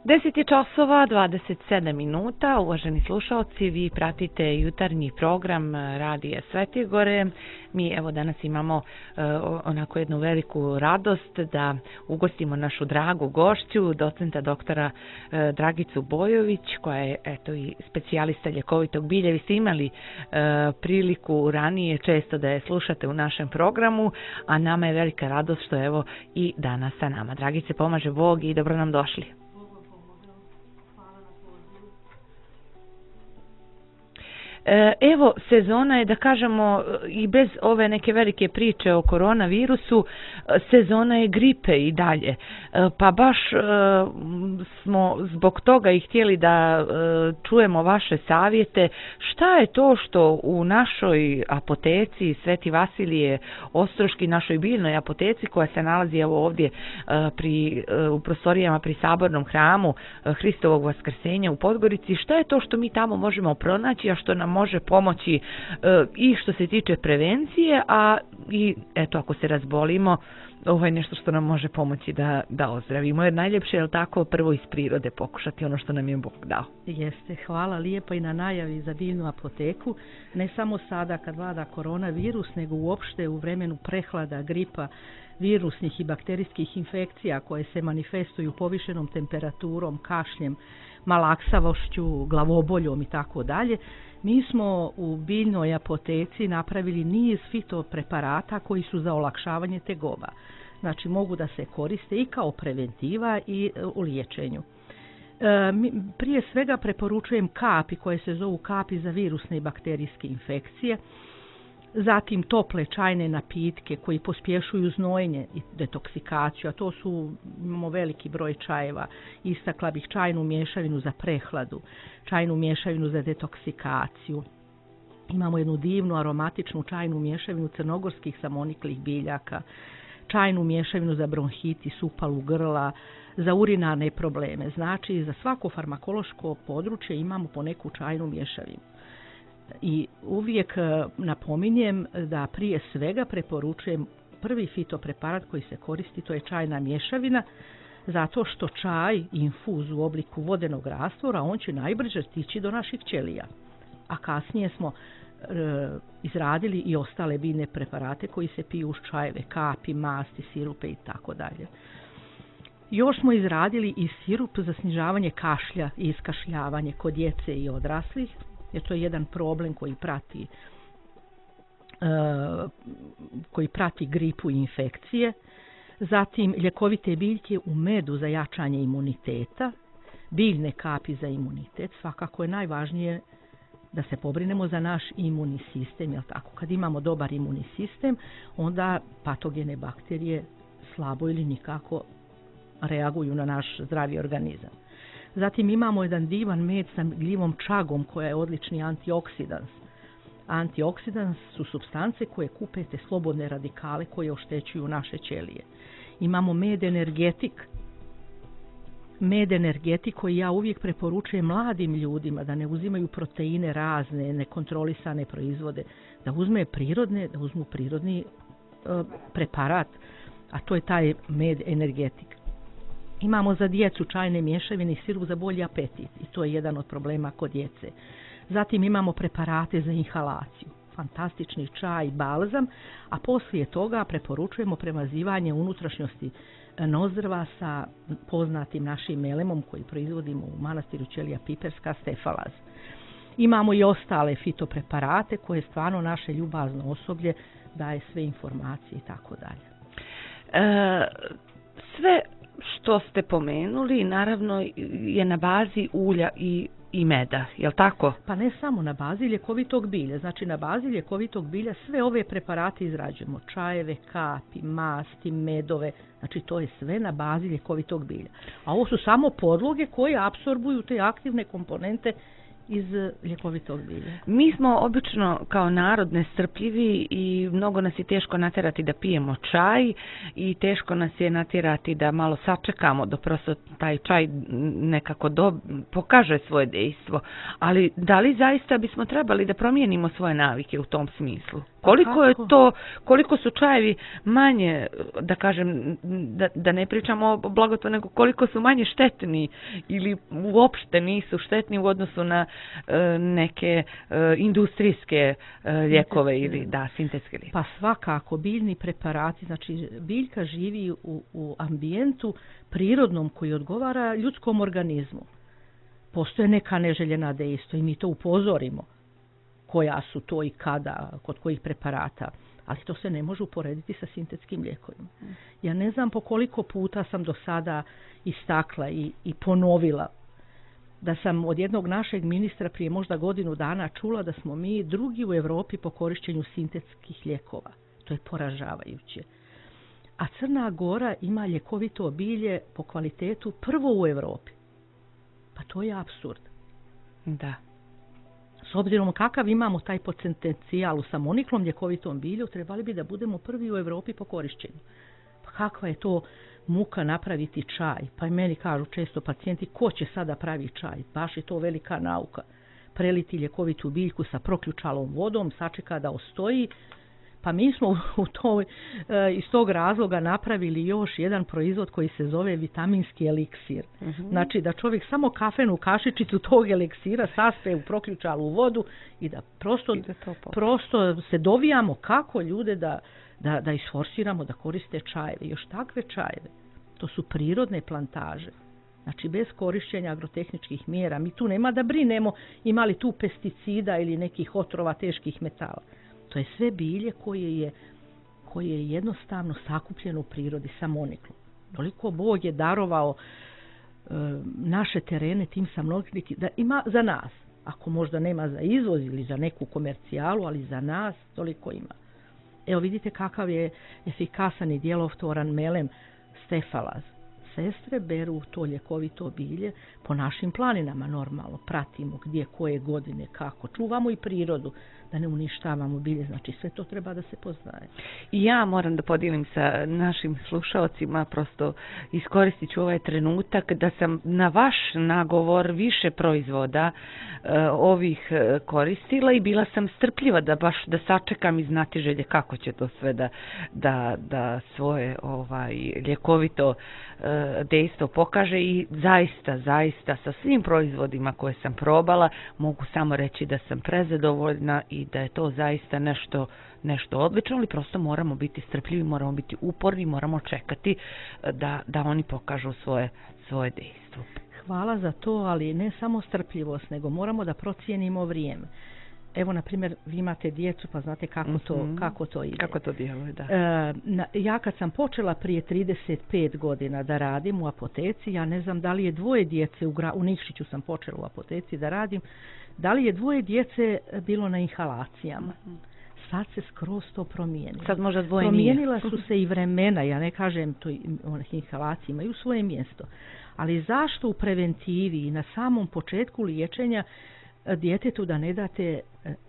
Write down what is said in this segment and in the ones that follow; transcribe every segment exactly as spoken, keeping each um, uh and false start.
deset je časova, dvadeset sedam minuta. Uvaženi slušalci, vi pratite jutarnji program Radija Svetigore. Mi evo danas imamo uh, onako jednu veliku radost da ugostimo našu dragu gošću, docenta doktora uh, Dragicu Bojović, koja je eto i specijalista ljekovitog bilja. Vi ste imali uh, priliku ranije često da je slušate u našem programu, a nama je velika radost što evo i danas sa nama. Dragice, pomaže Bog i dobro nam došli. Evo, sezona je, da kažemo, i bez ove neke velike priče o koronavirusu, sezona je gripe i dalje. Pa baš smo zbog toga i htjeli da čujemo vaše savjete. Šta je to što u našoj apoteci Sveti Vasilije Ostroški, našoj biljnoj apoteci koja se nalazi evo ovdje pri, u prostorijama pri Sabornom hramu Hristovog Vaskrsenja u Podgorici, šta je to što mi tamo možemo pronaći, a što nam može pomoći e, i što se tiče prevencije, a i eto ako se razbolimo, ovo je nešto što nam može pomoći da, da ozdravimo. Jer najljepše je tako prvo iz prirode pokušati ono što nam je Bog dao. Jeste, hvala lijepo i na najavi za biljnu apoteku. Ne samo sada kad vlada koronavirus, nego uopšte u vremenu prehlada, gripa, virusnih i bakterijskih infekcija koje se manifestuju povišenom temperaturom, kašljem, malaksavošću, glavoboljom i tako dalje. Mi smo u biljnoj apoteci napravili niz fitopreparata koji su za olakšavanje tegoba. Znači mogu da se koriste i kao preventiva i u liječenju. E, prije svega preporučujem kapi koje se zovu kapi za virusne i bakterijske infekcije. Zatim tople čajne napitke koji pospješuju znojenje i detoksikaciju, a to su, imamo veliki broj čajeva. Istakla bih čajnu mješavinu za prehladu, čajnu mješavinu za detoksikaciju. Imamo jednu divnu aromatičnu čajnu mješavinu crnogorskih samoniklih biljaka, čajnu mješavinu za bronhitis, upalu grla, za urinarne probleme. Znači, za svako farmakološko područje imamo po neku čajnu mješavinu. I uvijek napominjem da prije svega preporučujem prvi fitopreparat koji se koristi, to je čajna mješavina, zato što čaj, infuz u obliku vodenog rastvora, on će najbrže stići do naših ćelija. A kasnije smo e, izradili i ostale biljne preparate koji se piju uz čajeve, kapi, masti, sirupe i tako dalje. Još smo izradili i sirup za snižavanje kašlja i iskašljavanje kod djece i odraslih, jer to je jedan problem koji prati, uh, koji prati gripu i infekcije. Zatim ljekovite biljke u medu za jačanje imuniteta, biljne kapi za imunitet. Svakako je najvažnije da se pobrinemo za naš imunni sistem, jel tako? Kad imamo dobar imunni sistem, onda patogene bakterije slabo ili nikako reaguju na naš zdravi organizam. Zatim imamo jedan divan med sa gljivom čagom koja je odlični antioksidans. Antioksidans su supstance koje kupe te slobodne radikale koje oštećuju naše ćelije. Imamo med energetik. Med energetik koji ja uvijek preporučujem mladim ljudima da ne uzimaju proteine razne, nekontrolisane proizvode, da uzme prirodne, da uzmu prirodni e, preparat, a to je taj med energetik. Imamo za djecu čajne mješavine i sirup za bolji apetit i to je jedan od problema kod djece. Zatim imamo preparate za inhalaciju, fantastični čaj, balzam, a poslije toga preporučujemo premazivanje unutrašnjosti nozdrva sa poznatim našim melemom koji proizvodimo u manastiru Ćelija Piperska, stefalaz. Imamo i ostale fitopreparate koje stvarno naše ljubazno osoblje daje sve informacije i tako dalje. E, sve što ste pomenuli, naravno, je na bazi ulja i, i meda, je li tako? Pa ne samo na bazi ljekovitog bilja. Znači, na bazi ljekovitog bilja sve ove preparate izrađujemo. Čajeve, kapi, masti, medove. Znači, to je sve na bazi ljekovitog bilja. A ovo su samo podloge koje apsorbuju te aktivne komponente iz ljekovitog bilja. Mi smo obično kao narod nestrpljivi i mnogo nas je teško natjerati da pijemo čaj i teško nas je natjerati da malo sačekamo da prosto taj čaj nekako do, pokaže svoje dejstvo. Ali da li zaista bismo trebali da promijenimo svoje navike u tom smislu? Koliko je to, koliko su čajevi manje, da kažem, da, da ne pričamo o blagotvornom, nego koliko su manje štetni ili uopšte nisu štetni u odnosu na e, neke e, industrijske e, lijekove ili da, sintetske lijekove. Pa svakako, biljni preparati, znači biljka živi u, u ambijentu prirodnom koji odgovara ljudskom organizmu. Postoje neka neželjena dejstva i mi to upozorimo koja su to i kada, kod kojih preparata, ali to se ne može uporediti sa sintetskim lijekovima. Ja ne znam po koliko puta sam do sada istakla i, i ponovila da sam od jednog našeg ministra prije možda godinu dana čula da smo mi drugi u Europi po korišćenju sintetskih lijekova. To je poražavajuće. A Crna Gora ima ljekovito bilje po kvalitetu prvo u Europi. Pa to je apsurd. Da. S obzirom kakav imamo taj potencijal u samoniklom ljekovitom bilju, trebali bi da budemo prvi u Europi po korišćenju. Pa kakva je to muka napraviti čaj? Pa i meni kažu često pacijenti, ko će sada pravi čaj? Baš je to velika nauka. Preliti ljekovitu biljku sa proključalom vodom, sačeka da ostoji. Pa mi smo u toj, iz tog razloga napravili još jedan proizvod koji se zove vitaminski eliksir. Uh-huh. Znači da čovjek samo kafenu kašičicu tog eliksira saspe u proključalu vodu i da prosto, I da prosto se dovijamo kako ljude da, da, da isforsiramo da koriste čajeve. Još takve čajeve. To su prirodne plantaže. Znači bez korišćenja agrotehničkih mjera. Mi tu nema da brinemo imali tu pesticida ili nekih otrova teških metala. To je sve bilje koje je, koje je jednostavno sakupljeno u prirodi samoniklo. Toliko Bog je darovao e, naše terene tim samoniklom da ima za nas. Ako možda nema za izvoz ili za neku komercijalu, ali za nas toliko ima. Evo vidite kakav je efikasan i djelotvoran melem stefalaz. Sestre beru to ljekovito bilje po našim planinama normalno. Pratimo gdje, koje godine, kako. Čuvamo i prirodu da ne uništavamo bilje. Znači sve to treba da se poznaje. I ja moram da podijelim sa našim slušalcima, prosto iskoristit ću ovaj trenutak da sam na vaš nagovor više proizvoda e, ovih e, koristila i bila sam strpljiva da baš da sačekam iz znatiželje kako će to sve da, da, da svoje ovaj ljekovito e, dejstvo pokaže i zaista, zaista sa svim proizvodima koje sam probala mogu samo reći da sam prezadovoljna i da je to zaista nešto, nešto odlično, ali prosto moramo biti strpljivi, moramo biti uporni, moramo čekati da, da oni pokažu svoje, svoje dejstvo. Hvala za to, ali ne samo strpljivost, nego moramo da procijenimo vrijeme. Evo, na primjer, vi imate djecu, pa znate kako to, mm-hmm. kako to ide. Kako to djeluje, da. E, na, ja kad sam počela prije trideset pet godina da radim u apoteci, ja ne znam da li je dvoje djece, u, gra, u Nikšiću sam počela u apoteci da radim, da li je dvoje djece bilo na inhalacijama. Mm-hmm. Sad se skroz to promijenilo. Sad možda dvoje Promijenila nije. su se i vremena, ja ne kažem to, onih inhalacije imaju svoje mjesto. Ali zašto u preventivi i na samom početku liječenja djetetu da ne date,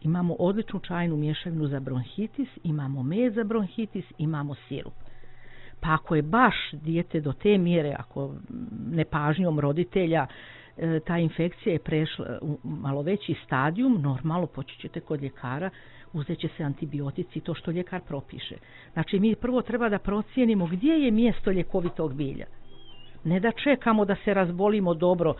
imamo odličnu čajnu mješavinu za bronhitis, imamo med za bronhitis, imamo sirup. Pa ako je baš dijete do te mjere, ako nepažnjom roditelja ta infekcija je prešla u malo veći stadijum, normalno poći ćete kod ljekara, uzet će se antibiotici, to što ljekar propiše. Znači mi prvo treba da procijenimo gdje je mjesto ljekovitog bilja. Ne da čekamo da se razbolimo dobro,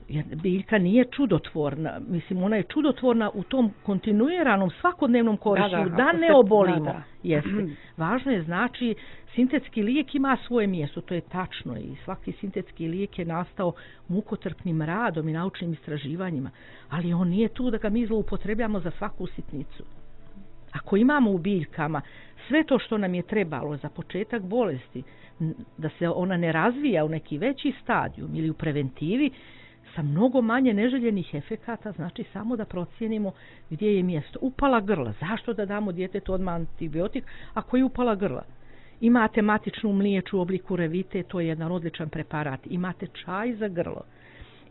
jer biljka nije čudotvorna. Mislim, ona je čudotvorna u tom kontinuiranom svakodnevnom korištenju, da, da, da ne obolimo. Da, da. Jeste. Važno je, znači, sintetski lijek ima svoje mjesto, to je tačno i svaki sintetski lijek je nastao mukotrpnim radom i naučnim istraživanjima, ali on nije tu da ga mi zloupotrebljamo za svaku sitnicu. Ako imamo u biljkama sve to što nam je trebalo za početak bolesti, da se ona ne razvija u neki veći stadijum ili u preventivi, sa mnogo manje neželjenih efekata, znači samo da procijenimo gdje je mjesto. Upala grla, zašto da damo djetetu odmah antibiotik ako je upala grla? Imate matičnu mliječu u obliku revite, to je jedan odličan preparat. Imate čaj za grlo,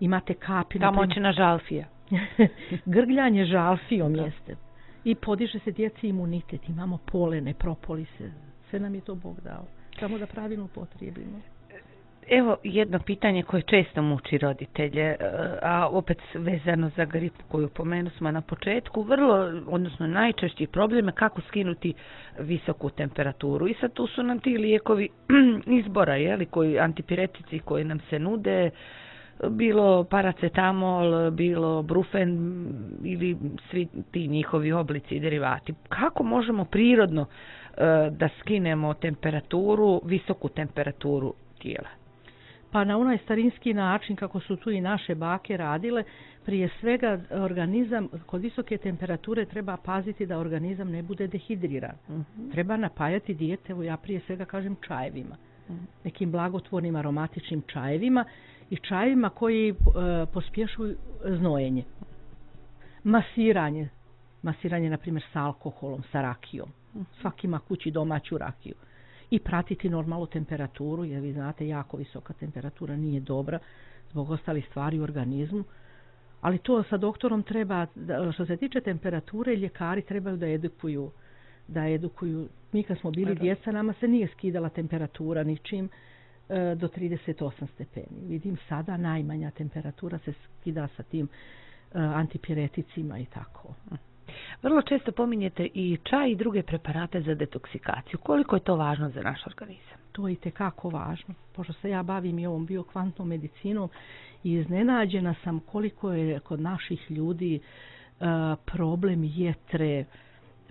imate kapi. Kamoćina žalfija. Grgljanje žalfijom jeste. I podiže se djeci imunitet, imamo polene, propolise, sve nam je to Bog dao. Samo da pravilno upotrijebimo. Evo jedno pitanje koje često muči roditelje, a opet vezano za gripu koju pomenu smo na početku, vrlo, odnosno najčešći problem je kako skinuti visoku temperaturu. I sad tu su nam ti lijekovi izbora, jeli, koji, antipiretici koji nam se nude, bilo paracetamol, bilo brufen ili svi ti njihovi oblici i derivati. Kako možemo prirodno da skinemo temperaturu, visoku temperaturu tijela? Pa na onaj starinski način kako su tu i naše bake radile, prije svega organizam kod visoke temperature treba paziti da organizam ne bude dehidriran. Mm-hmm. Treba napajati dijete, evo ja prije svega kažem čajevima, mm-hmm. nekim blagotvornim aromatičnim čajevima i čajevima koji e, pospješuju znojenje. Masiranje, masiranje na primjer sa alkoholom, sa rakijom. Mm-hmm. Svaki ima kući domaću rakiju. I pratiti normalnu temperaturu, jer vi znate jako visoka temperatura nije dobra zbog ostalih stvari u organizmu. Ali to sa doktorom treba, što se tiče temperature, ljekari trebaju da edukuju. Da edukuju. Mi kad smo bili djeca, nama se nije skidala temperatura ničim e, do trideset osam stepeni. Vidim sada najmanja temperatura se skida sa tim e, antipireticima i tako. Vrlo često pominjete i čaj i druge preparate za detoksikaciju. Koliko je to važno za naš organizam? To je itekako važno. Pošto se ja bavim i ovom biokvantnom medicinom i iznenađena sam koliko je kod naših ljudi uh, problem jetre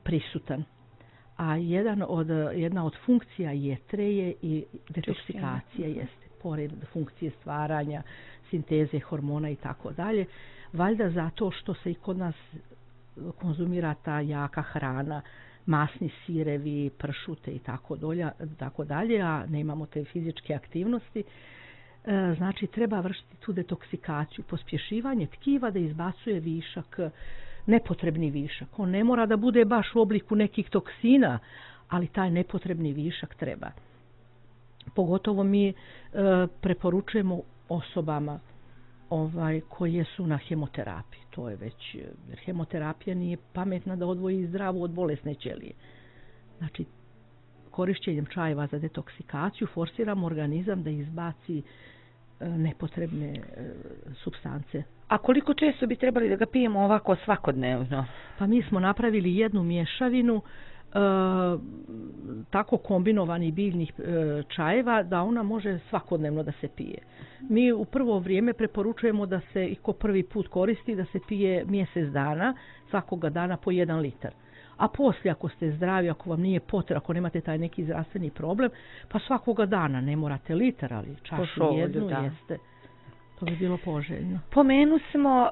prisutan. A jedan od, jedna od funkcija jetre je i detoksikacija, jeste. Pored funkcije stvaranja, sinteze hormona i tako dalje. Valjda zato što se i kod nas konzumira ta jaka hrana, masni sirevi, pršute i tako, dolja, tako dalje, a nemamo te fizičke aktivnosti. E, znači, treba vršiti tu detoksikaciju, pospješivanje tkiva da izbacuje višak, nepotrebni višak. On ne mora da bude baš u obliku nekih toksina, ali taj nepotrebni višak treba. Pogotovo mi e, preporučujemo osobama ovaj, koje su na hemoterapiji. To je već, jer hemoterapija nije pametna da odvoji zdravu od bolesne ćelije. Znači, korišćenjem čajeva za detoksikaciju forsiramo organizam da izbaci e, nepotrebne e, supstance. A koliko često bi trebali da ga pijemo ovako svakodnevno? Pa mi smo napravili jednu mješavinu e, tako kombinovanih biljnih e, čajeva da ona može svakodnevno da se pije. Mi u prvo vrijeme preporučujemo da se i ko prvi put koristi da se pije mjesec dana, svakoga dana po jedan litar. A poslije ako ste zdravi, ako vam nije potrebno, ako nemate taj neki zdravstveni problem, pa svakoga dana ne morate litar, ali čašu jednu da. Jeste. To bi bilo poželjno. Pomenu smo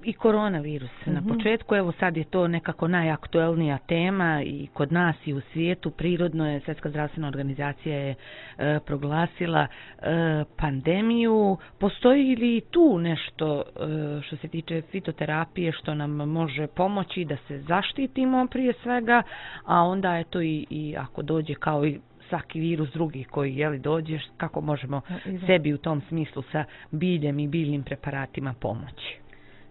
i koronavirus. Mm-hmm. Na početku, evo sad je to nekako najaktuelnija tema i kod nas i u svijetu. Prirodno je, Svjetska zdravstvena organizacija je e, proglasila e, pandemiju. Postoji li tu nešto e, što se tiče fitoterapije što nam može pomoći da se zaštitimo prije svega, a onda je to i, i ako dođe kao i svaki virus drugi koji jeli dođeš, kako možemo ja, sebi u tom smislu sa biljem i biljnim preparatima pomoći?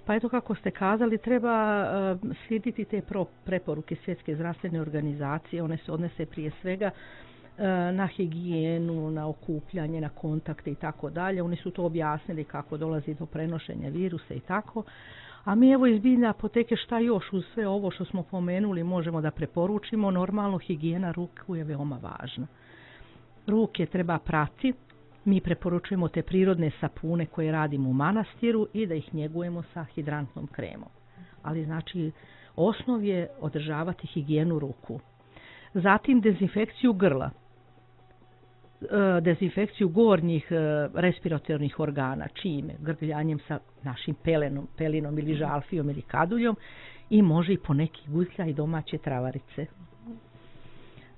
Pa eto kako ste kazali, treba uh, slijediti te pro, preporuke Svjetske zdravstvene organizacije. One se odnese prije svega uh, na higijenu, na okupljanje, na kontakte i tako dalje. Oni su to objasnili kako dolazi do prenošenja virusa i tako. A mi evo iz biljne apoteke šta još uz sve ovo što smo pomenuli možemo da preporučimo. Normalno higijena ruku je veoma važna. Ruke treba prati. Mi preporučujemo te prirodne sapune koje radimo u manastiru i da ih njegujemo sa hidrantnom kremom. Ali znači osnov je održavati higijenu ruku. Zatim dezinfekciju grla, dezinfekciju gornjih respiratornih organa, čime? Grgljanjem sa našim pelenom, pelinom ili žalfijom ili kaduljom i može i po neki gutlja i domaće travarice.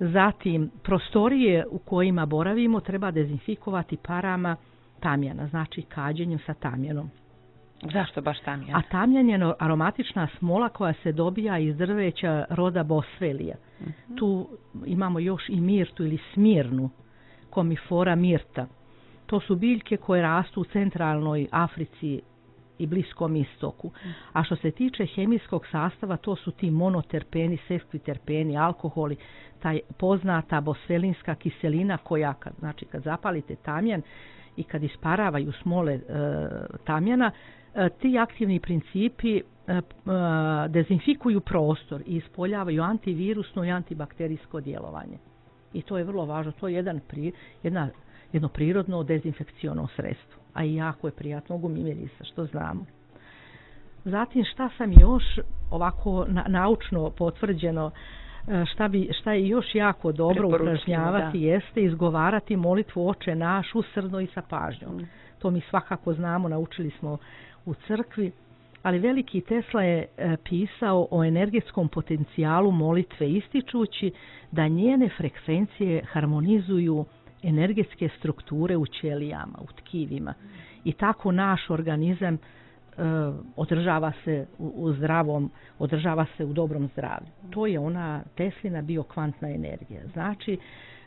Zatim, prostorije u kojima boravimo treba dezinfikovati parama tamjana, znači kađenjem sa tamjanom. Zašto baš tamjan? A tamjan je aromatična smola koja se dobija iz drveća roda Boswellija. Mm-hmm. Tu imamo još i mirtu ili smirnu, komifora mirta. To su biljke koje rastu u centralnoj Africi i Bliskom istoku. A što se tiče hemijskog sastava, to su ti monoterpeni, seskviterpeni, alkoholi, taj poznata bosfelinska kiselina koja, kad, znači kad zapalite tamjan i kad isparavaju smole e, tamjana, e, ti aktivni principi e, e, dezinfikuju prostor i ispoljavaju antivirusno i antibakterijsko djelovanje. I to je vrlo važno. To je jedan pri, jedna, jedno prirodno dezinfekciono sredstvo. A i jako je prijatno gumimirisa, što znamo. Zatim šta sam još ovako na, naučno potvrđeno, šta, bi, šta je još jako dobro upražnjavati, da. Jeste izgovarati molitvu Oče naš usrdno i sa pažnjom. Mm. To mi svakako znamo, naučili smo u crkvi. Ali veliki Tesla je e, pisao o energetskom potencijalu molitve ističući da njene frekvencije harmonizuju energetske strukture u ćelijama, u tkivima. I tako naš organizam e, održava se u, u zdravom, održava se u dobrom zdravlju. To je ona Teslina biokvantna energija. Znači,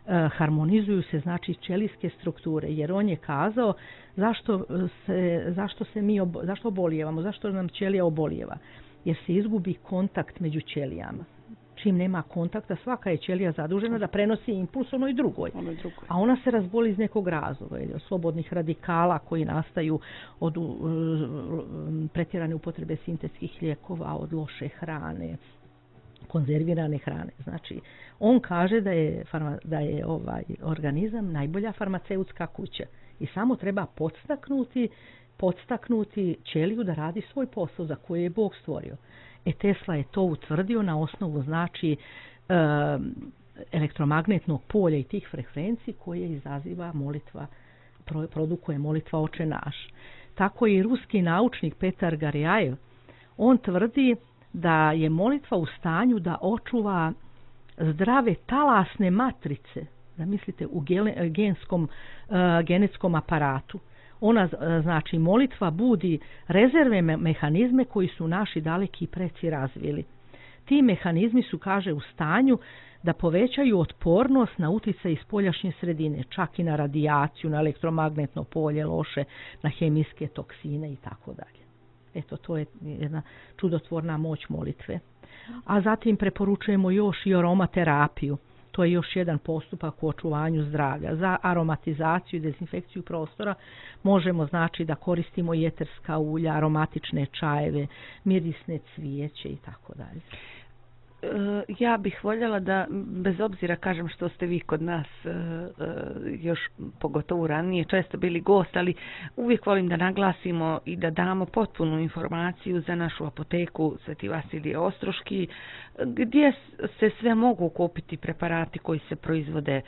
e, harmonizuju se znači ćelijske strukture, jer on je kazao zašto se, zašto se mi obo, zašto obolijevamo, zašto nam ćelija obolijeva, jer se izgubi kontakt među ćelijama. Čim nema kontakta, svaka je ćelija zadužena da prenosi impuls onoj drugoj. Onoj drugoj. A ona se razboli iz nekog razloga, od slobodnih radikala koji nastaju od uh, pretjerane upotrebe sintetskih lijekova, od loše hrane, konzervirane hrane. Znači, on kaže da je, farma, da je ovaj organizam najbolja farmaceutska kuća i samo treba podstaknuti, podstaknuti ćeliju da radi svoj posao za koji je Bog stvorio. E Tesla je to utvrdio na osnovu znači e, elektromagnetnog polja i tih frekvencij koje izaziva molitva, pro, produkuje molitva Oče naš. Tako i ruski naučnik Petar Garjajev, on tvrdi da je molitva u stanju da očuva zdrave talasne matrice, da mislite u genskom, uh, genetskom aparatu. Ona, znači, molitva budi rezervne mehanizme koji su naši daleki preci razvili. Ti mehanizmi su, kaže, u stanju da povećaju otpornost na utjecaj iz spoljašnje sredine, čak i na radijaciju, na elektromagnetno polje, loše, na hemijske toksine i tako dalje. Eto, to je jedna čudotvorna moć molitve. A zatim preporučujemo još i aromaterapiju. To je još jedan postupak u očuvanju zdravlja. Za aromatizaciju i dezinfekciju prostora možemo znači da koristimo i eterska ulja, aromatične čajeve, mirisne cvijeće i tako dalje. Ja bih voljela da, bez obzira kažem što ste vi kod nas još pogotovo ranije često bili gost, ali uvijek volim da naglasimo i da damo potpunu informaciju za našu apoteku Sveti Vasilije Ostroški, gdje se sve mogu kupiti preparati koji se proizvode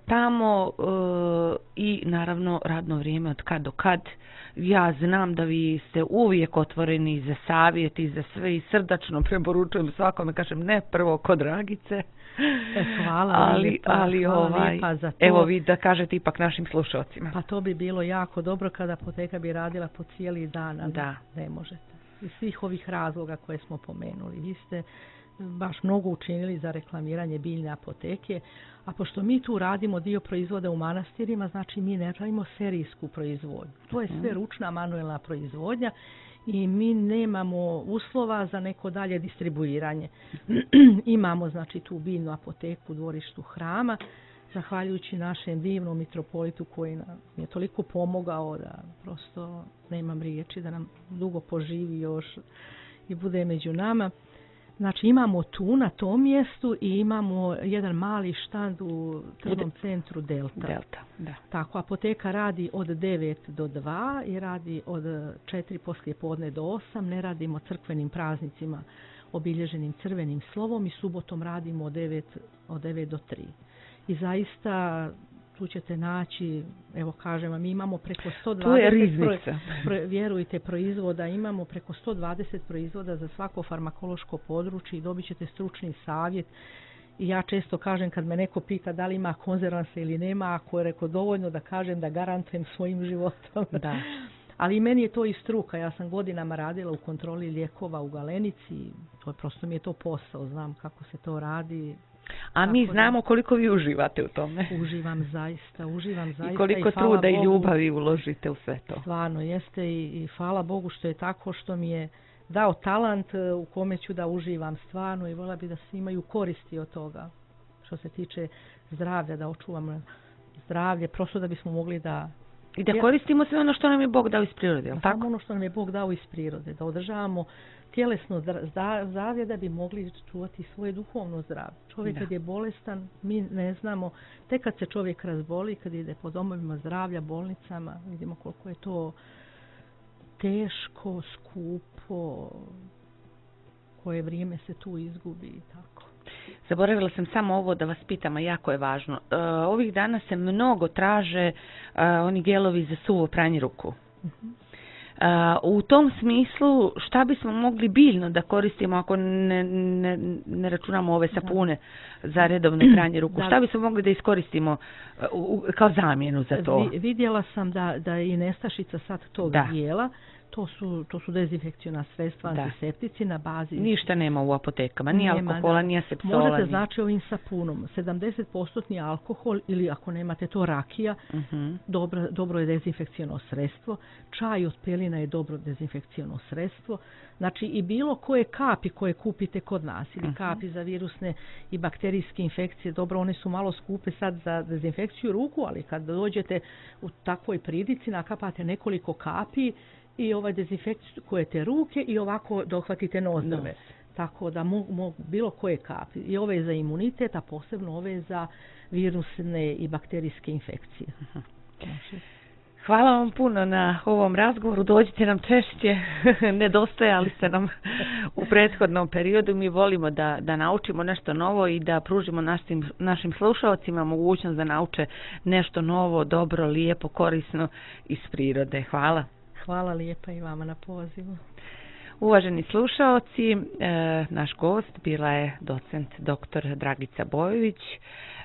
tamo i naravno radno vrijeme od kad do kad. Ja znam da vi ste uvijek otvoreni za savjet i za sve i srdačno preporučujem svakome, kažem ne prvo kod Dragice. E, hvala ali, lijepa, ali hvala ovaj, lijepa za to. Evo vi da kažete ipak našim slušalcima. Pa to bi bilo jako dobro kada apoteka bi radila po cijeli dan, a da. Ne možete. Iz svih ovih razloga koje smo pomenuli. Vi ste baš mnogo učinili za reklamiranje biljne apoteke, a pošto mi tu radimo dio proizvoda u manastirima, znači mi ne radimo serijsku proizvodnju. To je sve ručna manuelna proizvodnja i mi nemamo uslova za neko dalje distribuiranje. Imamo znači tu biljnu apoteku u dvorištu hrama, zahvaljujući našem divnom mitropolitu koji nam je toliko pomogao da prosto nemam riječi, da nam dugo poživi još i bude među nama. Znači imamo tu na tom mjestu i imamo jedan mali štand u tržnom centru Delta. Delta, da. Tako, apoteka radi od devet do dva i radi od četiri poslije podne do osam. Ne radimo crkvenim praznicima obilježenim crvenim slovom i subotom radimo od devet, od devet do tri. I zaista tu ćete naći, evo kažem vam, mi imamo preko sto dvadeset, pro, pro, vjerujte, proizvoda, imamo preko sto dvadeset proizvoda za svako farmakološko područje i dobit ćete stručni savjet. I ja često kažem kad me neko pita da li ima konzervansa ili nema, ako je reko dovoljno da kažem da garantujem svojim životom. Da. Ali meni je to i struka, ja sam godinama radila u kontroli lijekova u Galenici, to je prosto mi je to posao, znam kako se to radi, A mi znamo koliko vi uživate u tome. Uživam zaista, uživam zaista. I koliko i truda Bogu, i ljubavi uložite u sve to. Stvarno jeste i, i hvala Bogu što je tako, što mi je dao talent u kome ću da uživam stvarno i vola bi da svi imaju koristi od toga. Što se tiče zdravlja, da očuvam zdravlje, prosto da bismo mogli da... I da koristimo sve ono što nam je Bog dao iz prirode, je li tako? Samo ono što nam je Bog dao iz prirode, da održavamo tjelesno zdravlje da bi mogli čuvati svoje duhovno zdravlje. Čovjek kad je bolestan, mi ne znamo, tek kad se čovjek razboli, kad ide po domovima zdravlja, bolnicama, vidimo koliko je to teško, skupo, koje vrijeme se tu izgubi i tako. Zaboravila sam samo ovo da vas pitam, a jako je važno. E, ovih dana se mnogo traže e, oni gelovi za suvo pranje ruku. Uh-huh. E, u tom smislu šta bismo mogli biljno da koristimo ako ne, ne, ne računamo ove sapune da. za redovno pranje ruku? Da. Šta bismo mogli da iskoristimo u, kao zamjenu za to? Vi, vidjela sam da, da i nestašica sad tog da. Gela. To su, to su dezinfekciona sredstva, antiseptici na bazi... Ništa nema u apotekama, ni nema, alkohola, ni asepsola. Možete ni... znači ovim sapunom, sedamdeset posto alkohol ili ako nemate to rakija, uh-huh. dobro, dobro je dezinfekciono sredstvo. Čaj od pelina je dobro dezinfekciono sredstvo. Znači i bilo koje kapi koje kupite kod nas ili uh-huh. kapi za virusne i bakterijske infekcije, dobro, one su malo skupe sad za dezinfekciju ruku, ali kad dođete u takvoj pridici, nakapate nekoliko kapi i ovaj dezinfekcijujete ruke i ovako dohvatite nozdrve. No. Tako da mogu, mogu bilo koje kapi. I ove za imunitet, a posebno ove za virusne i bakterijske infekcije. Uh-huh. Znači. Hvala vam puno na ovom razgovoru. Dođite nam češće. Nedostajali ste nam u prethodnom periodu. Mi volimo da, da naučimo nešto novo i da pružimo našim, našim slušalcima mogućnost da nauče nešto novo, dobro, lijepo, korisno iz prirode. Hvala. Hvala lijepa i vama na pozivu. Uvaženi slušaoci, e, naš gost bila je docent doktor Dragica Bojović,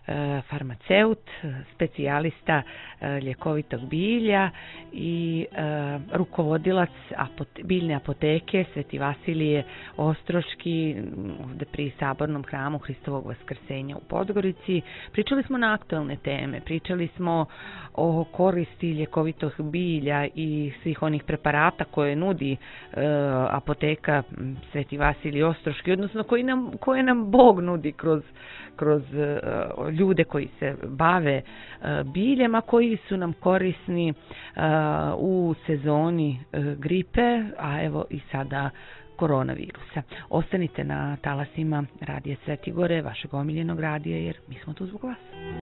e, farmaceut, specijalista e, ljekovitog bilja i e, rukovodilac apote, biljne apoteke Sveti Vasilije Ostroški ovdje pri Sabornom hramu Hristovog Vaskrsenja u Podgorici. Pričali smo na aktualne teme, pričali smo o koristi ljekovitog bilja i svih onih preparata koje nudi e, apoteka Sveti Vasilij Ostroški, odnosno koji nam, koje nam Bog nudi kroz, kroz uh, ljude koji se bave uh, biljem, a koji su nam korisni uh, u sezoni uh, gripe, a evo i sada koronavirusa. Ostanite na talasima Radija Svetigore, vašeg omiljenog radija, jer mi smo tu zbog vas.